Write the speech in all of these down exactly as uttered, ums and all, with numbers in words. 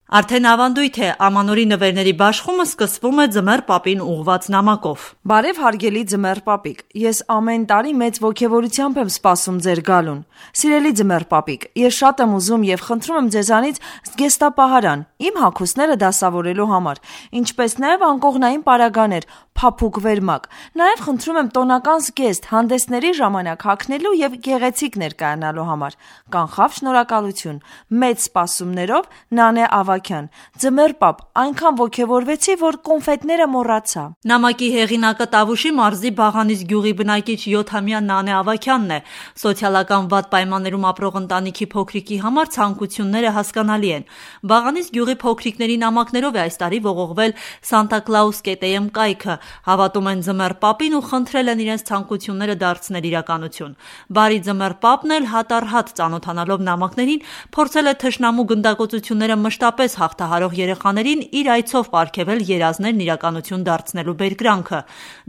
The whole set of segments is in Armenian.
Արդեն ավանդույթ է, ամանորի նվերների բաշխումը սկսվում է ձմեռ պապին ուղղված նամակով։ Բարև հարգելի ձմեռ պապիկ, ես ամեն տարի մեծ ոգևորությամբ եմ սպասում ձեր գալուն։ Սիրելի ձմեռ պապիկ, ես շատ եմ ուզում եւ խնդրում եմ ձեզանից զգեստապահարան իմ հագուստները դասավորելու համար, ինչպես նաեւ անկողնային պարագաներ, փափուկ վերմակ։ Նաեւ խնդրում եմ տոնական զգեստ հանդեսների ժամանակ հագնելու եւ գեղեցիկ ներկայանալու համար։ Կանխավ շնորհակալություն։ Մեծ սպասումներով Նանե Ավագյան։ Ձմեռ պապ, այնքան ոգևորվեցի, որ կոնֆետները մոռացա։ Նամակի հեղինակը Տավուշի մարզի Բաղանիս գյուղի բնակիչ յոթամյա Նանե Ավագյանն է։ Սոցիալական վատ պայմաններում ապրող ընտանիքի փոքրիկի համար ցանկությունները հասկանալի են։ Բաղանիս գյուղի փոքրիկների նամակներով է այս տարի ողողվել Սանտա Կլաուս կետեյեմ կայքը, հավատում են ձմեռ պապին ու խնդրել են իրենց ցանկությունները դարձնել իրականություն։ Բարի ձմեռ պապն էլ հատ-առ-հատ ծանոթանալով նամակներին փորձել է թշնամու գնդակոծությունները մշտապես հաղթահարող երեխաներին իր այցով պարգևել երազներն իրականություն դարձնելու բերկրանքը։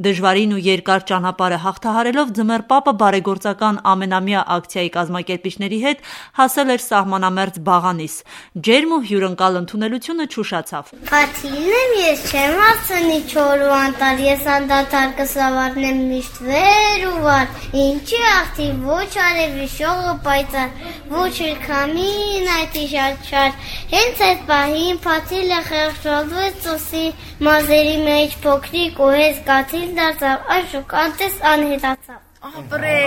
Դժվարին ու երկար ճանապարհը հաղթահարելով ձմեռ պապը բարեգործական ամենամյա ակցիայի կազմակերպիչների հետ հասել էր սահմանամերձ Բաղանիս։ Ջերմ ու հյուրընկալ ընդունելությունը չուշացավ։ Պատիլն եմ, ես չեմ հասցնի չոր ու անտար, ես անդադար կսավառնեմ միշտ վեր ու վար, ինչի աղթի ոչ արևի շողը պայծառ, ոչ էլ քամին այդ իշաչար, հենց այդ պահին Պատիլը խեղճալվեց ծոսի մազերի մեջ փոքրիկ ու հեզ կաթիլ դարձավ, այս շուկանտես անհետացավ։ Ապրե։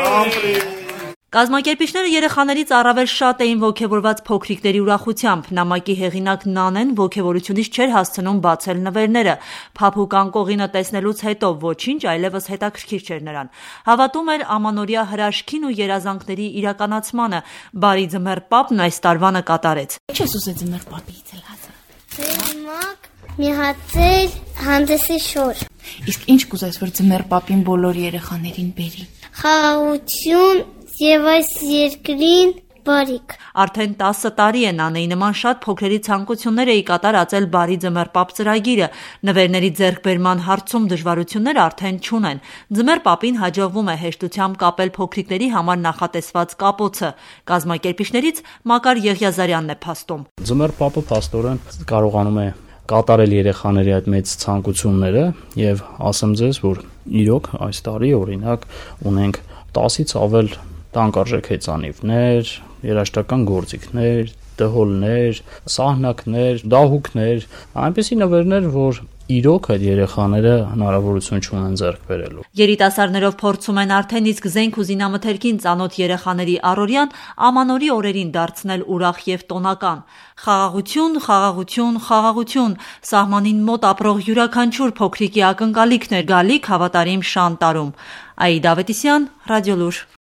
Կազմակերպիչները երեխաներից առավել շատ էին ոգևորված փոքրիկների ուրախությամբ։ Նամակի հեղինակ Նանեն ոգևորությունից չէր հասցնում բացել նվերները։ Փափուկ անկողինը տեսնելուց հետո ոչինչ այլևս հետաքրքիր չէր նրան։ Հավատում էր ամանորյա հրաշքին ու երազանքների իրականացմանը։ Բարի ձմեռ պապն այս տարվանը կատարեց։ Ինչ ես ուզել ձմեռ պապից էլ հազար։ Վերմակ, մի հատ ծեր, հանդեսի շոր։ Իսկ ինչ կուզես, որ ձմեռ պապին բոլոր երեխաներին բերի։ Խաղաղություն եւ այս երկրին բարիք։ Արդեն տասը տարի է Նանեի նման շատ փոքրերի ցանկություններ էի կատարածել Բարի ձմեռ պապ ծրագիրը։ Նվերների ձեռքբերման հարցում դժվարություններ արդեն չունեն։ Ձմեռ պապին հաջողվում է հեշտությամբ կապել փոքրիկների համար նախատեսված կապոցը։ Կազմակերպիչներից Մակար Եղիազարյանն է փաստում։ Ձմեռ պապը փաստորեն կարողանում է կատարել երեխաների այդ մեծ ցանկությունները եւ ասեմ ձեզ, որ իրոք այս տարի օրինակ ունենք տասից ավել տանկարժեք հեծանիվներ, երաժշտական գործիքներ, դհոլներ, սահնակներ, դահուկներ, այնպիսի նվերներ, որ իրոք այդ երեխաները հնարավորություն չունեն ձեռք բերելու։ Երիտասարդներով փորձում են արդեն իսկ զենք ու զինամթերքին ծանոթ երեխաների առօրյան ամանորի օրերին դարձնել ուրախ եւ տոնական։ Խաղաղություն, խաղաղություն, խաղաղություն, սահմանին մոտ ապրող յուրաքանչյուր փոքրիկի ակնկալիքն է գալիք հավատարիմ շան տարում։ Աիդա Ավետիսյան, Ռադիոլուր։